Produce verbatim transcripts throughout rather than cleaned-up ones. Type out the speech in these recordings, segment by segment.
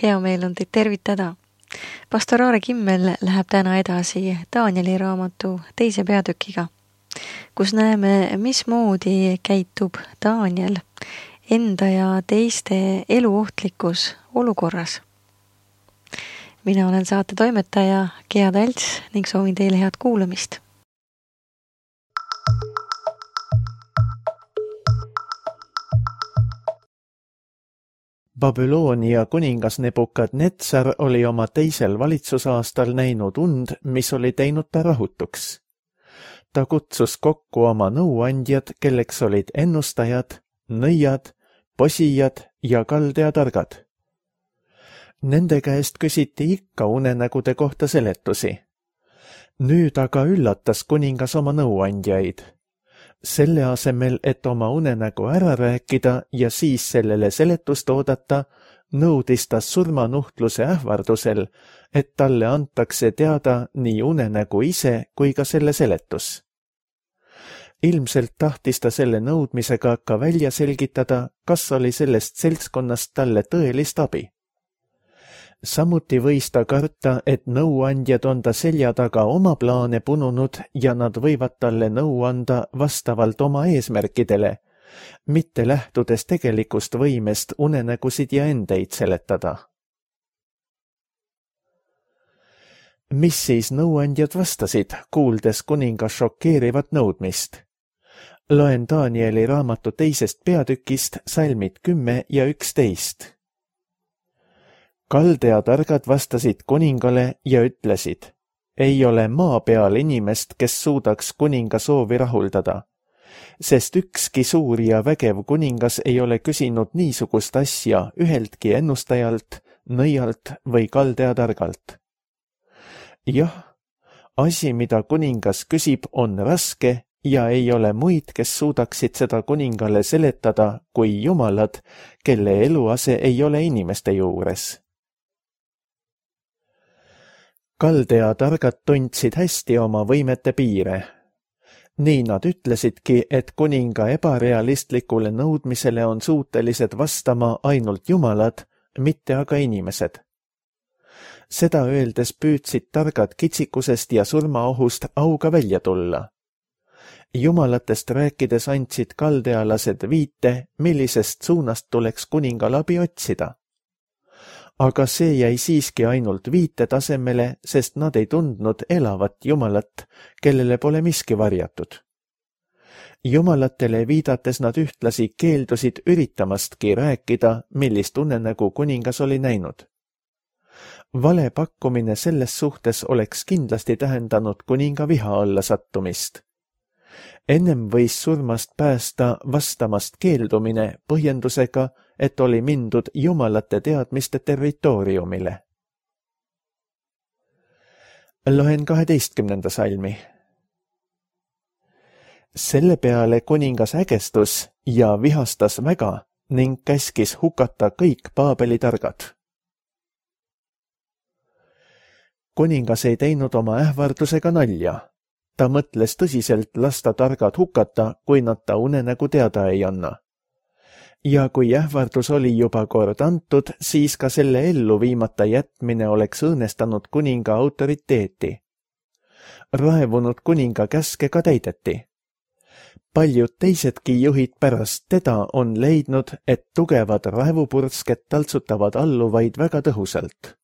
Hea meel on teid tervitada. Pastor Aare Kimmel läheb täna edasi Danieli raamatu teise peatükiga, kus näeme, mismoodi käitub Daniel enda ja teiste eluohtlikus olukorras. Mina olen saate toimetaja Gea Talts ning soovin teile head kuulamist. Babyloonia kuningas Nebukadnetsar oli oma teisel valitsusaastal näinud und, mis oli teinud ta rahutuks. Ta kutsus kokku oma nõuandjad, kelleks olid ennustajad, nõiad, posijad ja kaldeatargad. Nende käest küsiti ikka unenägude kohta seletusi. Nüüd aga üllatas kuningas oma nõuandjaid. Selle asemel, et oma unenägu ära rääkida ja siis sellele seletust oodata, nõudis ta surmanuhtluse ähvardusel, et talle antakse teada nii unenägu ise kui ka selle seletus. Ilmselt tahtis ta selle nõudmisega ka välja selgitada, kas oli sellest seltskonnast talle tõelist abi. Samuti võis ta karta, et nõuandjad on ta selja taga oma plaane pununud ja nad võivad talle nõu anda vastavalt oma eesmärkidele, mitte lähtudes tegelikust võimest unenägusid ja endeid seletada. Mis siis nõuandjad vastasid, kuuldes kuninga šokeerivat nõudmist? Loen Danieli raamatu teisest peatükist salmid kümme ja üksteist. Kaldeatargad vastasid kuningale ja ütlesid, ei ole maa peal inimest, kes suudaks kuninga soovi rahuldada, sest ükski suur ja vägev kuningas ei ole küsinud niisugust asja üheltki ennustajalt, nõialt või kaldeatargalt. Jah, asi, mida kuningas küsib, on raske ja ei ole muid, kes suudaksid seda kuningale seletada kui jumalad, kelle eluase ei ole inimeste juures. Kaldeatargad tundsid hästi oma võimete piire. Nii nad ütlesidki, et kuninga ebarealistlikule nõudmisele on suutelised vastama ainult jumalad, mitte aga inimesed. Seda öeldes püüdsid targad kitsikusest ja surmaohust auga välja tulla. Jumalatest rääkides andsid kaldealased viite, millisest suunast tuleks kuningal abi otsida. Aga see jäi siiski ainult viite tasemele, sest nad ei tundnud elavat jumalat, kellele pole miski varjatud. Jumalatele viidates nad ühtlasi keeldusid üritamastki rääkida, millist unenägu kuningas oli näinud. Vale pakkumine selles suhtes oleks kindlasti tähendanud kuninga viha alla sattumist. Ennem võis surmast päästa vastamast keeldumine põhjendusega, et oli mindud jumalate teadmiste territooriumile. Loen kaheteistkümnenda salmi. Selle peale kuningas ägestus ja vihastas väga ning käskis hukata kõik Paabeli targad. Kuningas ei teinud oma ähvardusega nalja. Ta mõtles tõsiselt lasta targad hukata, kui nad ta unenägu teada ei anna. Ja kui ähvardus oli juba kord antud, siis ka selle ellu viimata jätmine oleks õõnestanud kuninga autoriteeti. Raevunud kuninga käske ka täideti. Paljud teisedki juhid pärast teda on leidnud, et tugevad raevupursked taltsutavad alluvaid väga tõhusalt.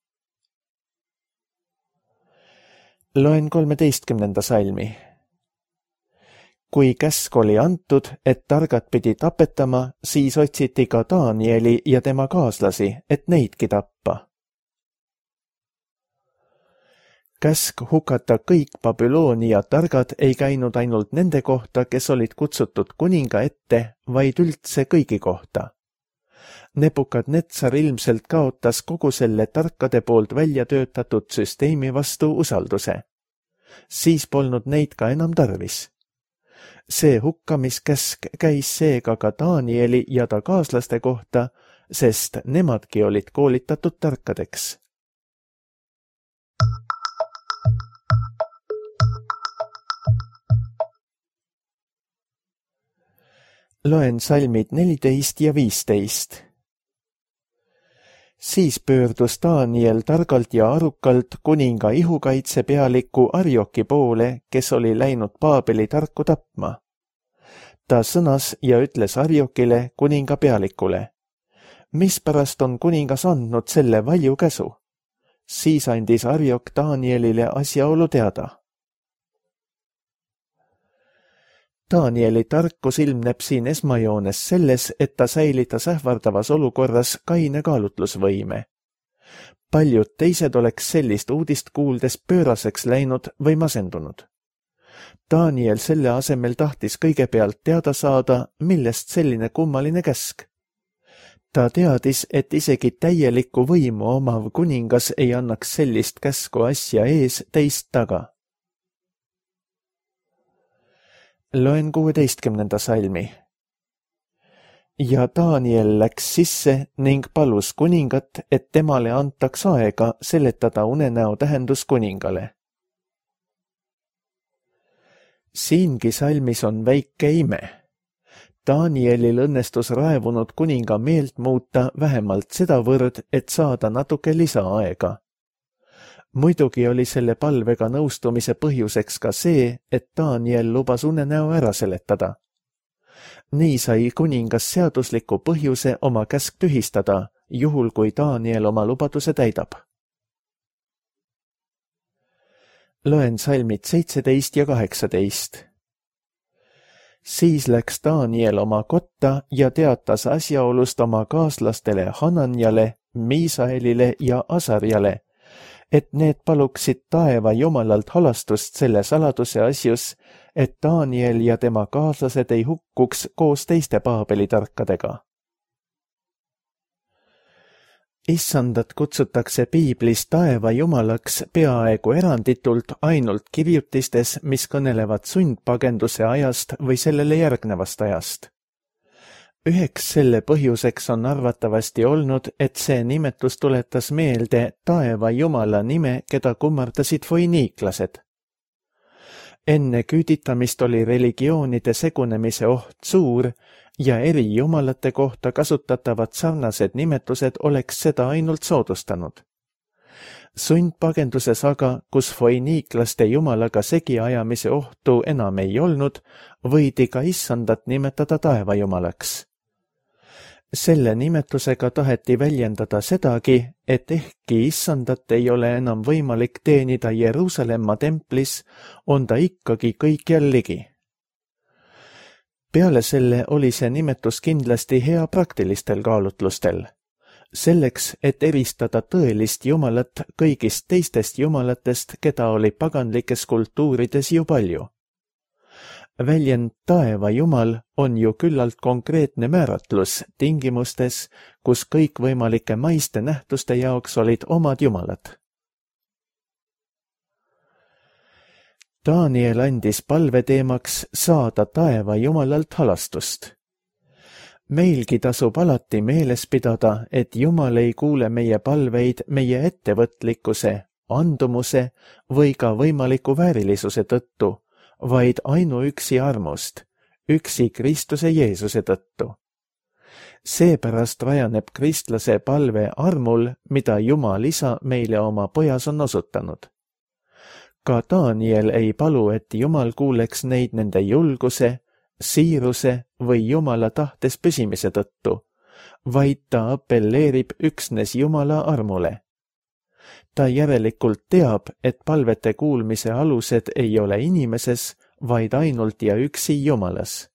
Loen kolmeteistkümnenda salmi. Kui käsk oli antud, et targad pidi tapetama, siis otsiti ka Danieli ja tema kaaslasi, et neidki tappa. Käsk hukata kõik Babyloonia targad ei käinud ainult nende kohta, kes olid kutsutud kuninga ette, vaid üldse kõigi kohta. Nebukadnetsar ilmselt kaotas kogu selle tarkade poolt välja töötatud süsteemi vastu usalduse. Siis polnud neid ka enam tarvis. See hukkamiskäsk käis seega ka Danieli ja ta kaaslaste kohta, sest nemadki olid koolitatud tarkadeks. Loen salmid neliteist ja viisteist. Siis pöördus Daniel targalt ja arukalt kuninga ihukaitsepealiku Arioki poole, kes oli läinud Paabeli tarku tapma. Ta sõnas ja ütles Ariokile, kuninga pealikule: mispärast on kuningas andnud selle valju käsu? Siis andis Ariok Danielile asjaolu teada. Danieli tarkus ilmneb siin esmajoones selles, et ta säilitas ähvardavas olukorras kaine kaalutlusvõime. Paljud teised oleks sellist uudist kuuldes pööraseks läinud või masendunud. Daniel selle asemel tahtis kõigepealt teada saada, millest selline kummaline käsk. Ta teadis, et isegi täielikku võimu omav kuningas ei annaks sellist käsku asja ees teist taga. Loen kuueteistkümnenda salmi. Ja Daniel läks sisse ning palus kuningat, et temale antaks aega seletada unenäo tähendus kuningale. Siingi salmis on väike ime. Danielil õnnestus raevunud kuninga meelt muuta vähemalt sedavõrd, et saada natuke lisaaega. Muidugi oli selle palvega nõustumise põhjuseks ka see, et Daniel lubas unenäo ära seletada. Nii sai kuningas seadusliku põhjuse oma käsk tühistada, juhul kui Daniel oma lubaduse täidab. Loen salmid seitseteist ja kaheksateist. Siis läks Daniel oma kotta ja teatas asjaolust oma kaaslastele Hananjale, Miisaelile ja Asarjale, et need paluksid taeva jumalalt halastust selle saladuse asjus, et Daniel ja tema kaaslased ei hukkuks koos teiste Paabeli tarkadega. Issandat kutsutakse piiblis taeva jumalaks peaaegu eranditult ainult kirjutistes, mis kõnelevad sundpagenduse ajast või sellele järgnevast ajast. Üheks selle põhjuseks on arvatavasti olnud, et see nimetus tuletas meelde taeva jumala nime, keda kummardasid foiniiklased. Enne küüditamist oli religioonide segunemise oht suur ja eri jumalate kohta kasutatavad sarnased nimetused oleks seda ainult soodustanud. Sundpagenduses aga, kus foiniiklaste jumalaga segiajamise ohtu enam ei olnud, võidi ka issandat nimetada taevajumalaks. Selle nimetusega taheti väljendada sedagi, et ehkki issandat ei ole enam võimalik teenida Jeruusalemma templis, on ta ikkagi kõikjal ligi. Peale selle oli see nimetus kindlasti hea praktilistel kaalutlustel. Selleks, et eristada tõelist jumalat kõigist teistest jumalatest, keda oli paganlikes kultuurides ju palju. Väljend taeva jumal on ju küllalt konkreetne määratlus tingimustes, kus kõikvõimalike maiste nähtuste jaoks olid omad jumalad. Daniel andis palveteemaks saada taeva jumalalt halastust. Meilgi tasub alati meeles pidada, et Jumal ei kuule meie palveid meie ettevõtlikkuse, andumuse või ka võimaliku väärilisuse tõttu, vaid ainuüksi armust, üksi Kristuse Jeesuse tõttu. Seepärast rajaneb kristlase palve armul, mida Jumal isa meile oma pojas on osutanud. Ka Daniel ei palu, et Jumal kuuleks neid nende julguse, siiruse või Jumala tahtes püsimise tõttu, vaid ta apelleerib üksnes Jumala armule. Ta järelikult teab, et palvete kuulmise alused ei ole inimeses, vaid ainult ja üksi Jumalas.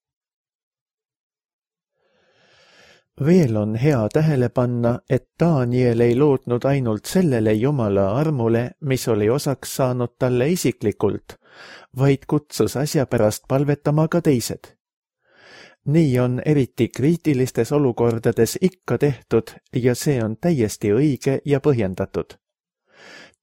Veel on hea tähele panna, et Daniel ei lootnud ainult sellele Jumala armule, mis oli osaks saanud talle isiklikult, vaid kutsus asja pärast palvetama ka teised. Nii on eriti kriitilistes olukordades ikka tehtud ja see on täiesti õige ja põhjendatud.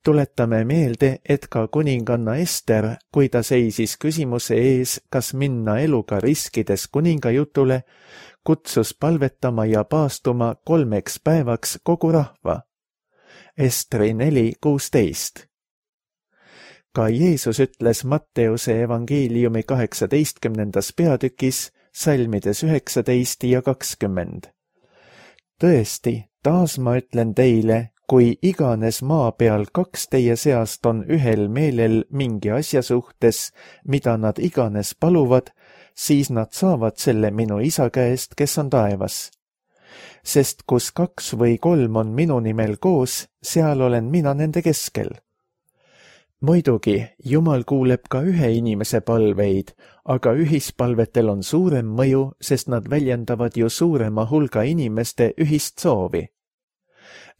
Tuletame meelde, et ka kuninganna Ester, kui ta seisis küsimuse ees, kas minna eluga riskides kuningajutule, kutsus palvetama ja paastuma kolmeks päevaks kogu rahva. Estri neli kuusteist. Ka Jeesus ütles Matteuse evangeeliumi kaheksateistkümnendas peatükis, salmides üheksateist ja kakskümmend. tõesti, taas ma ütlen teile, kui iganes maa peal kaks teie seast on ühel meelel mingi asja suhtes, mida nad iganes paluvad, siis nad saavad selle minu isa käest, kes on taevas. Sest kus kaks või kolm on minu nimel koos, seal olen mina nende keskel. Muidugi, Jumal kuuleb ka ühe inimese palveid, aga ühispalvetel on suurem mõju, sest nad väljendavad ju suurema hulga inimeste ühist soovi.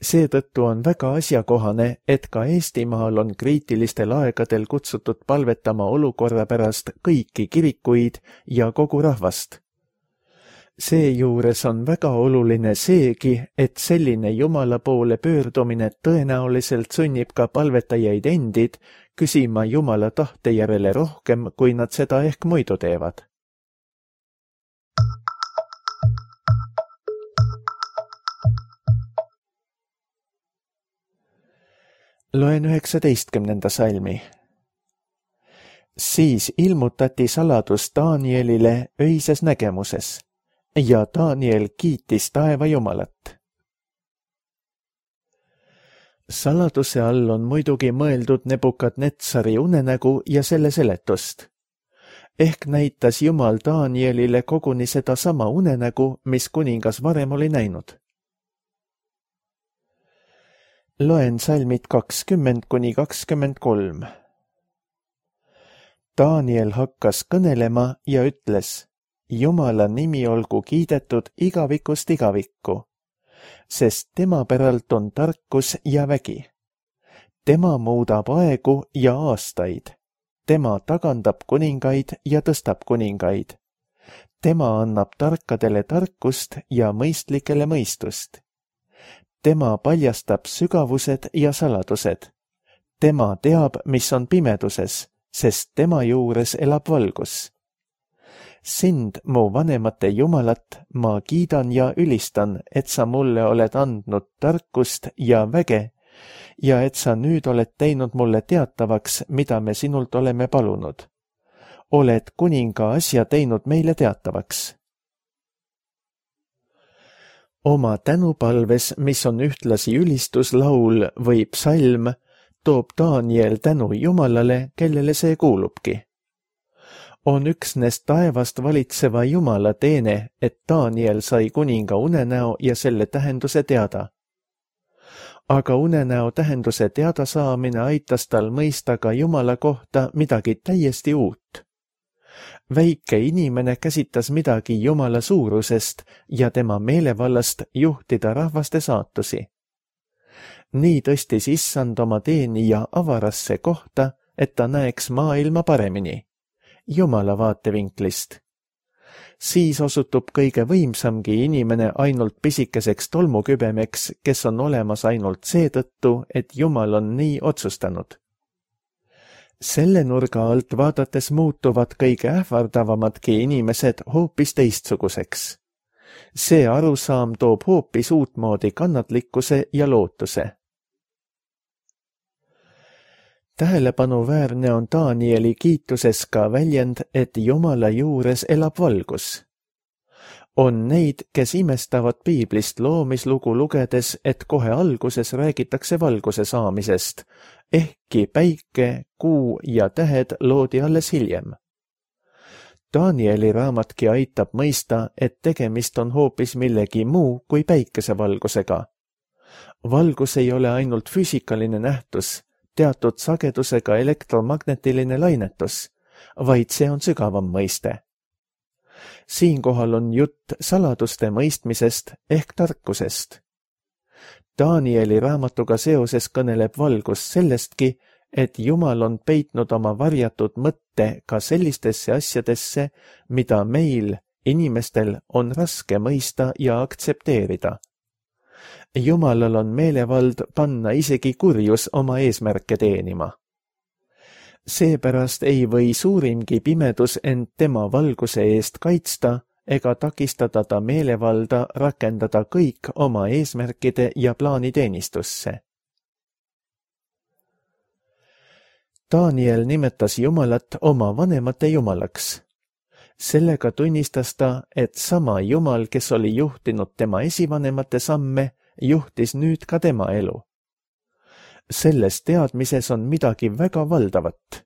Seetõttu on väga asjakohane, et ka Eestimaal on kriitilistel aegadel kutsutud palvetama olukorra pärast kõiki kirikuid ja kogu rahvast. Seejuures on väga oluline seegi, et selline Jumala poole pöördumine tõenäoliselt sunnib ka palvetajaid endid küsima Jumala tahte järele rohkem, kui nad seda ehk muidu teevad. Loen üheksateistkümnenda salmi. Siis ilmutati saladus Danielile öises nägemuses. Ja Daniel kiitis taeva Jumalat. Saladuse all on muidugi mõeldud Nebukadnetsari unenägu ja selle seletust. Ehk näitas Jumal Danielile koguni seda sama unenägu, mis kuningas varem oli näinud. Loen salmid kakskümmend kuni kakskümmend kolm. Daniel hakkas kõnelema ja ütles, Jumala nimi olgu kiidetud igavikust igavikku, sest tema päralt on tarkus ja vägi. Tema muudab aegu ja aastaid. Tema tagandab kuningaid ja tõstab kuningaid. Tema annab tarkadele tarkust ja mõistlikele mõistust. Tema paljastab sügavused ja saladused. Tema teab, mis on pimeduses, sest tema juures elab valgus. Sind, mu vanemate Jumalat, ma kiidan ja ülistan, et sa mulle oled andnud tarkust ja väge ja et sa nüüd oled teinud mulle teatavaks, mida me sinult oleme palunud. Oled kuninga asja teinud meile teatavaks. Oma tänupalves, mis on ühtlasi ülistuslaul või psalm, toob Daniel tänu Jumalale, kellele see kuulubki. On üksnes taevast valitseva Jumala teene, et Daniel sai kuninga unenäo ja selle tähenduse teada. Aga unenäo tähenduse teada saamine aitas tal mõista ka Jumala kohta midagi täiesti uut. Väike inimene käsitas midagi Jumala suurusest ja tema meelevallast juhtida rahvaste saatusi. Nii tõstis issand oma teenija avarasse kohta, et ta näeks maailma paremini. Jumala vaatevinklist. Siis osutub kõige võimsamgi inimene ainult pisikeseks tolmukübemeks, kes on olemas ainult seetõttu, et Jumal on nii otsustanud. Selle nurga alt vaadates muutuvad kõige ähvardavamadki inimesed hoopis teistsuguseks. See arusaam toob hoopis uutmoodi kannatlikkuse ja lootuse. Tähelepanuväärne on Danieli kiituses ka väljend, et Jumala juures elab valgus. On neid, kes imestavad piiblist loomislugu lugedes, et kohe alguses räägitakse valguse saamisest, ehkki päike, kuu ja tähed loodi alles hiljem. Danieli raamatki aitab mõista, et tegemist on hoopis millegi muu kui päikesevalgusega. Valgus ei ole ainult füüsikaline nähtus, teatud sagedusega elektromagnetiline lainetus, vaid see on sügavam mõiste. Siinkohal on jutt saladuste mõistmisest ehk tarkusest. Danieli raamatuga seoses kõneleb valgus sellestki, et Jumal on peitnud oma varjatud mõtte ka sellistesse asjadesse, mida meil, inimestel, on raske mõista ja aktsepteerida. Jumalal on meelevald panna isegi kurjus oma eesmärke teenima. Seepärast ei või suurimgi pimedus end tema valguse eest kaitsta ega takistada ta meelevalda rakendada kõik oma eesmärkide ja plaaniteenistusse. Daniel nimetas Jumalat oma vanemate Jumalaks. Sellega tunnistas ta, et sama Jumal, kes oli juhtinud tema esivanemate samme, juhtis nüüd ka tema elu. Selles teadmises on midagi väga valdavat.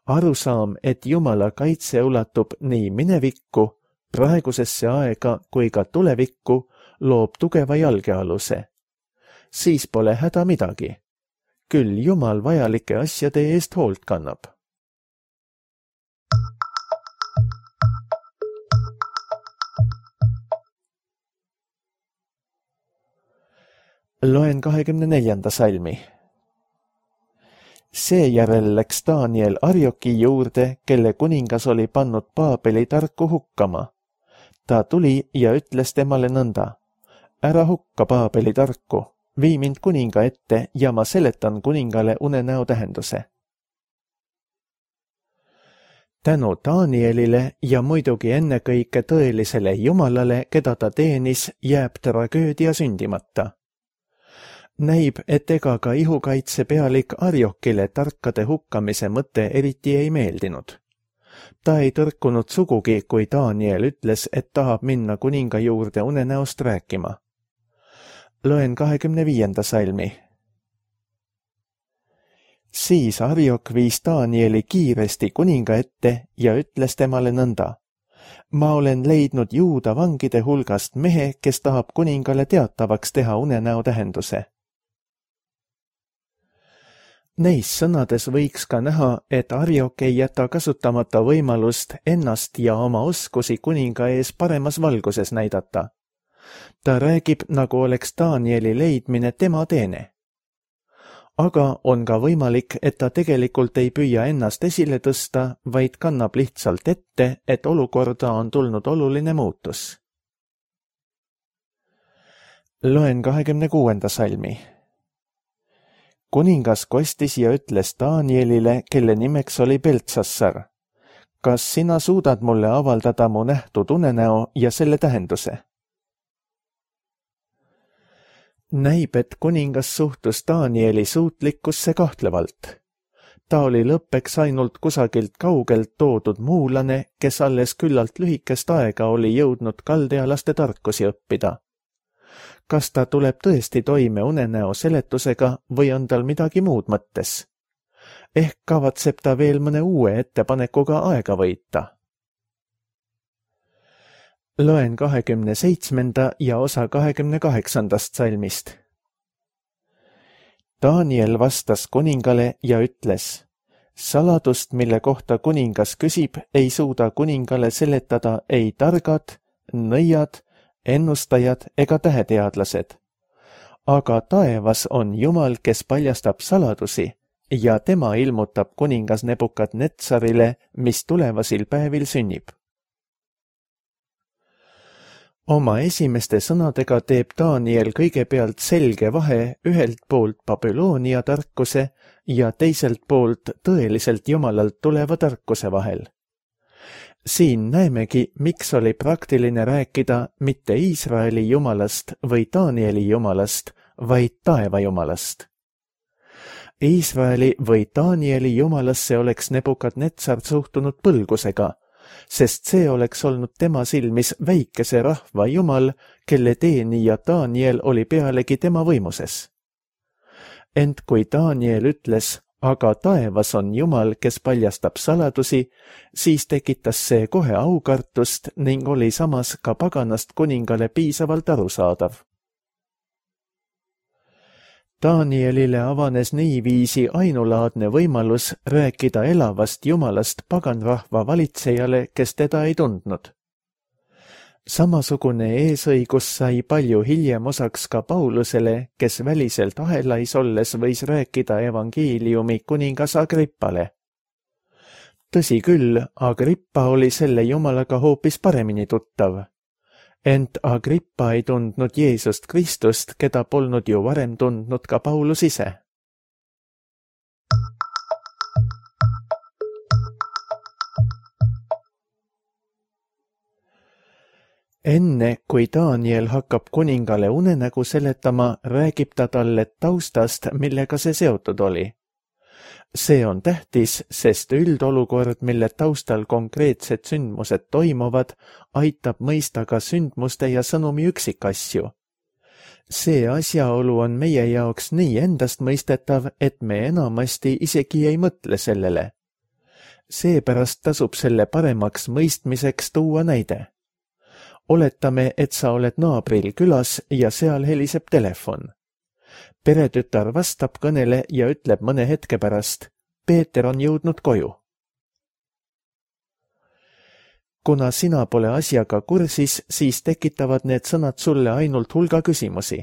Arusaam, et Jumala kaitse ulatub nii minevikku, praegusesse aega kui ka tulevikku, loob tugeva jalgealuse. Siis pole häda midagi. Küll Jumal vajalike asjade eest hoolt kannab. Loen kahekümne neljanda salmi. Seejärel läks Daniel Arioki juurde, kelle kuningas oli pannud Paabeli tarku hukkama. Ta tuli ja ütles temale nõnda: ära hukka Paabeli tarku, vii mind kuninga ette ja ma seletan kuningale unenäo tähenduse. Tänu Danielile ja muidugi ennekõike tõelisele Jumalale, keda ta teenis, jääb tragöödia sündimata. Näib, et ega ka ihukaitse pealik Ariokile tarkade hukkamise mõte eriti ei meeldinud. Ta ei tõrkunud sugugi, kui Daniel ütles, et tahab minna kuninga juurde unenäost rääkima. Loen kahekümne viienda salmi. Siis Ariok viis Danieli kiiresti kuninga ette ja ütles temale nõnda: ma olen leidnud Juuda vangide hulgast mehe, kes tahab kuningale teatavaks teha unenäo tähenduse. Neis sõnades võiks ka näha, et Ariok ei jäta kasutamata võimalust ennast ja oma oskusi kuninga ees paremas valguses näidata. Ta räägib, nagu oleks Danieli leidmine tema teene. Aga on ka võimalik, et ta tegelikult ei püüa ennast esile tõsta, vaid kannab lihtsalt ette, et olukorda on tulnud oluline muutus. Loen kahekümne kuuenda salmi. Kuningas kostis ja ütles Danielile, kelle nimeks oli Beltsassar: kas sina suudad mulle avaldada mu nähtud unenäo ja selle tähenduse? Näib, et kuningas suhtus Danieli suutlikkusse kahtlevalt. Ta oli lõppeks ainult kusagilt kaugelt toodud muulane, kes alles küllalt lühikest aega oli jõudnud kaldealaste tarkusi õppida. Kas ta tuleb tõesti toime unenäo seletusega või on tal midagi muud mõttes? Ehk kavatseb ta veel mõne uue ettepanekuga aega võita. Loen kahekümne seitsmenda ja osa kahekümne kaheksandast salmist. Daniel vastas kuningale ja ütles: saladust, mille kohta kuningas küsib, ei suuda kuningale seletada ei targad, nõiad, ennustajad ega täheteadlased. Aga taevas on Jumal, kes paljastab saladusi ja tema ilmutab kuningas Nebukadnetsarile, mis tulevasil päevil sünnib. Oma esimeste sõnadega teeb Daniel kõigepealt selge vahe ühelt poolt Babyloonia tarkuse ja teiselt poolt tõeliselt Jumalalt tuleva tarkuse vahel. Siin näemegi, miks oli praktiline rääkida mitte Iisraeli jumalast või Danieli jumalast, vaid taeva jumalast. Iisraeli või Danieli jumalasse oleks Nebukadnetsar suhtunud põlgusega, sest see oleks olnud tema silmis väikese rahva jumal, kelle teenija Daniel oli pealegi tema võimuses. Ent kui Daniel ütles: aga taevas on Jumal, kes paljastab saladusi, siis tekitas see kohe aukartust ning oli samas ka paganast kuningale piisavalt arusaadav. Danielile avanes niiviisi ainulaadne võimalus rääkida elavast Jumalast paganrahva valitsejale, kes teda ei tundnud. Samasugune eesõigus sai palju hiljem osaks ka Paulusele, kes väliselt ahelais olles võis rääkida evangeeliumi kuningas Agrippale. Tõsi küll, Agrippa oli selle Jumalaga hoopis paremini tuttav. Ent Agrippa ei tundnud Jeesust Kristust, keda polnud ju varem tundnud ka Paulus ise. Enne, kui Daniel hakkab kuningale unenägu seletama, räägib ta talle taustast, millega see seotud oli. See on tähtis, sest üldolukord, mille taustal konkreetsed sündmused toimuvad, aitab mõista ka sündmuste ja sõnumi üksikasju. See asjaolu on meie jaoks nii endastmõistetav, et me enamasti isegi ei mõtle sellele. Seepärast tasub selle paremaks mõistmiseks tuua näide. Oletame, et sa oled naabril külas ja seal heliseb telefon. Peretütar vastab kõnele ja ütleb mõne hetke pärast, Peeter on jõudnud koju. Kuna sina pole asjaga kursis, siis tekitavad need sõnad sulle ainult hulga küsimusi.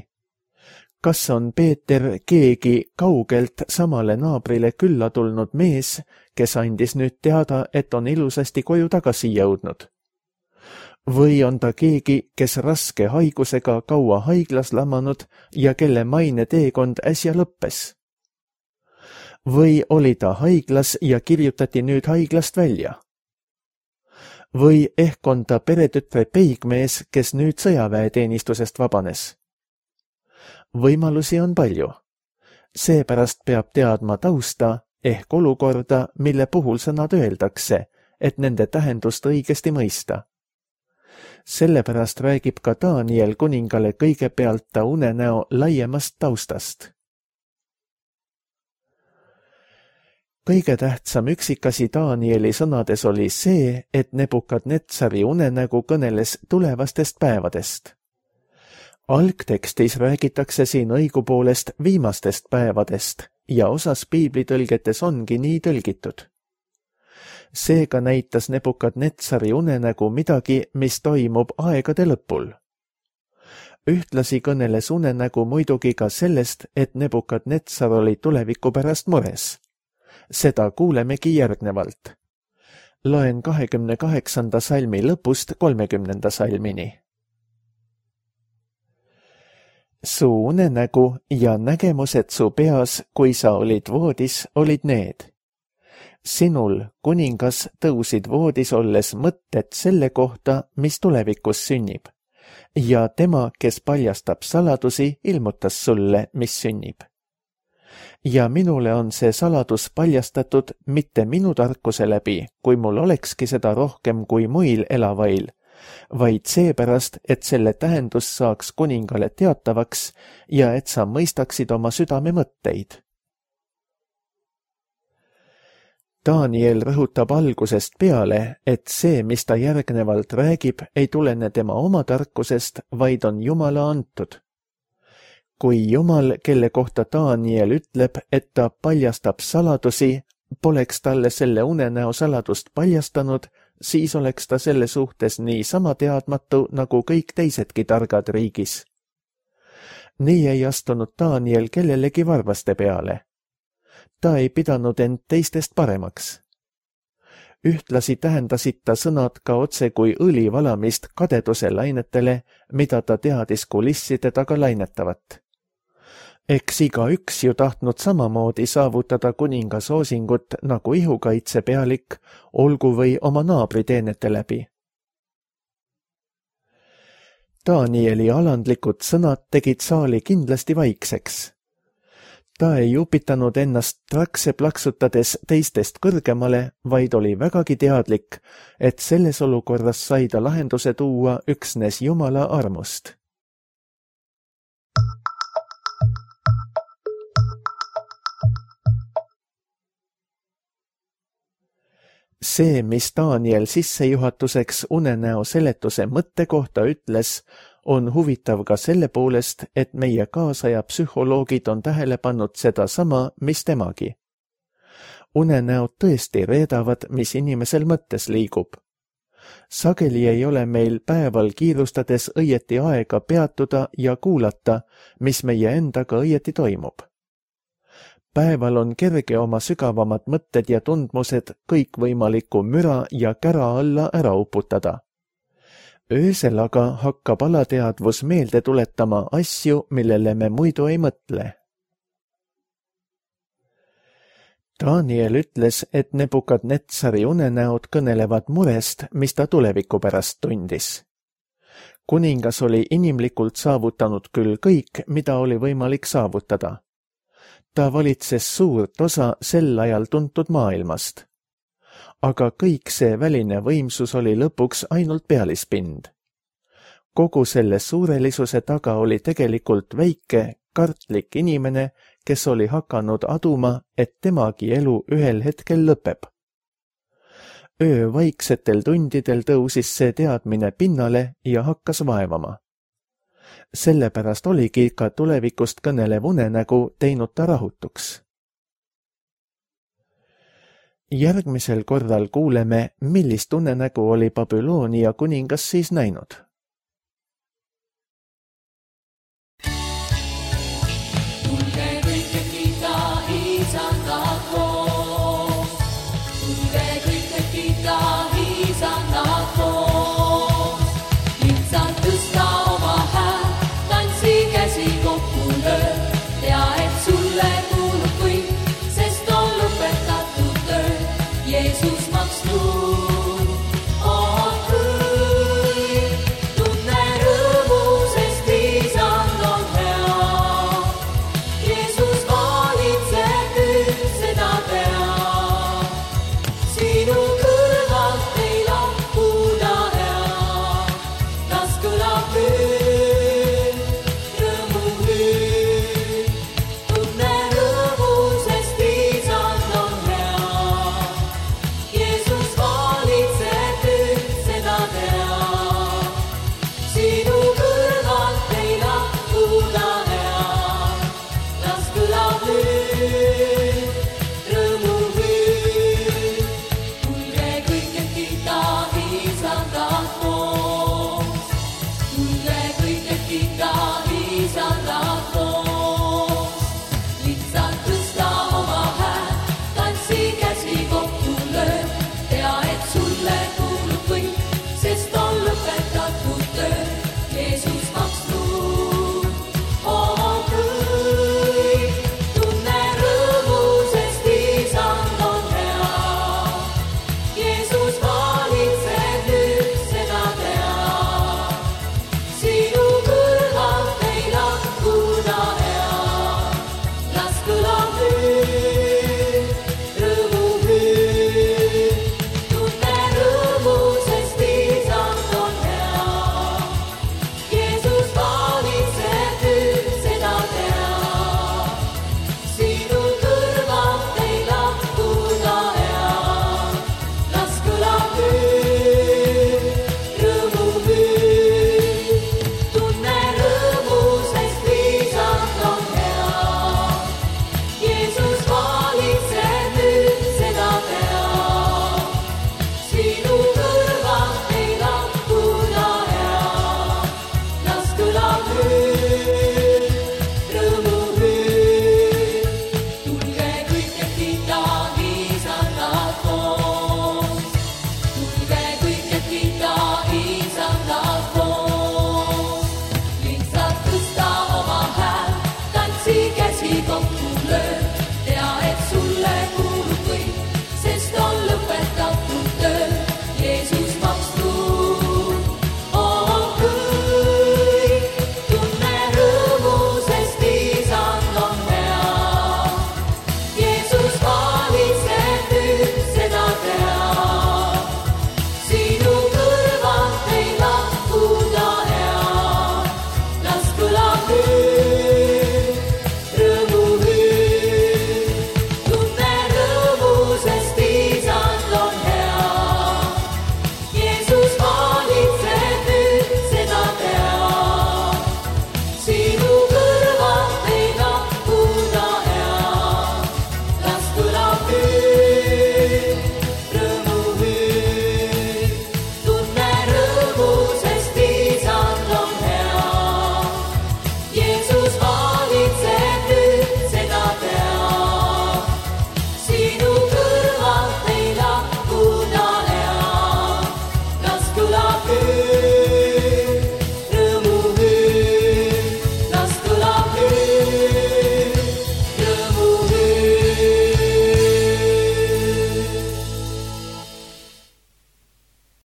Kas on Peeter keegi kaugelt samale naabrile külla tulnud mees, kes andis nüüd teada, et on ilusasti koju tagasi jõudnud? Või on ta keegi, kes raske haigusega kaua haiglas lamanud ja kelle maine teekond äsja lõppes? Või oli ta haiglas ja kirjutati nüüd haiglast välja? Või ehk on ta peretütre peigmees, kes nüüd sõjaväeteenistusest vabanes? Võimalusi on palju. Seepärast peab teadma tausta ehk olukorda, mille puhul sõnad öeldakse, et nende tähendust õigesti mõista. Sellepärast räägib ka Daniel kuningale kõigepealt ta unenäo laiemast taustast. Kõige tähtsam üksikasi Danieli sõnades oli see, et Nebukadnetsari unenägu kõneles tulevastest päevadest. Algtekstis räägitakse siin õigupoolest viimastest päevadest ja osas piiblitõlgetes ongi nii tõlgitud. Seega näitas Nebukadnetsari unenägu midagi, mis toimub aegade lõpul. Ühtlasi kõneles unenägu muidugi ka sellest, et Nebukadnetsar oli tuleviku pärast mures. Seda kuulemegi järgnevalt. Loen kahekümne kaheksanda salmi lõpust kolmekümnenda salmini. Su unenägu ja nägemused su peas, kui sa olid voodis, olid need. Sinul, kuningas, tõusid voodis olles mõtted selle kohta, mis tulevikus sünnib, ja tema, kes paljastab saladusi, ilmutas sulle, mis sünnib. Ja minule on see saladus paljastatud mitte minu tarkuse läbi, kui mul olekski seda rohkem kui muil elavail, vaid seepärast, et selle tähendus saaks kuningale teatavaks ja et sa mõistaksid oma südame mõtteid. Daniel rõhutab algusest peale, et see, mis ta järgnevalt räägib, ei tulene tema oma tarkusest, vaid on Jumala antud. Kui Jumal, kelle kohta Daniel ütleb, et ta paljastab saladusi, poleks talle selle unenäo saladust paljastanud, siis oleks ta selle suhtes nii sama teadmatu nagu kõik teisedki targad riigis. Nii ei astunud Daniel kellelegi varvaste peale. Ta ei pidanud end teistest paremaks. Ühtlasi tähendasid ta sõnad ka otse kui õli valamist kadeduse lainetele, mida ta teadis kulisside taga lainetavat. Eks iga üks ju tahtnud samamoodi saavutada kuninga soosingut nagu ihukaitsepealik, olgu või oma naabri teenete läbi. Danieli alandlikud sõnad tegid saali kindlasti vaikseks. Ta ei upitanud ennast trakse plaksutades teistest kõrgemale, vaid oli vägagi teadlik, et selles olukorras sai ta lahenduse tuua üksnes Jumala armust. See, mis Daniel sissejuhatuseks unenäo seletuse mõtte kohta ütles, on huvitav ka selle poolest, et meie kaasaja psühholoogid on tähele pannud seda sama, mis temagi. Unenäod tõesti reedavad, mis inimesel mõttes liigub. Sageli ei ole meil päeval kiirustades õieti aega peatuda ja kuulata, mis meie endaga õieti toimub. Päeval on kerge oma sügavamad mõtted ja tundmused kõikvõimaliku müra ja kära alla ära uputada. Öösel aga hakkab alateadvus meelde tuletama asju, millele me muidu ei mõtle. Daniel ütles, et Nebukadnetsari unenäod kõnelevad murest, mis ta tuleviku pärast tundis. Kuningas oli inimlikult saavutanud küll kõik, mida oli võimalik saavutada. Ta valitses suurt osa sel ajal tuntud maailmast. Aga kõik see väline võimsus oli lõpuks ainult pealispind. Kogu selle suurelisuse taga oli tegelikult väike, kartlik inimene, kes oli hakanud aduma, et temagi elu ühel hetkel lõpeb. Öö vaiksetel tundidel tõusis see teadmine pinnale ja hakkas vaevama. Sellepärast oligi ka tulevikust kõnelev unenägu teinud ta rahutuks. Järgmisel korral kuuleme, millist unenägu oli Babyloonia kuningas siis näinud.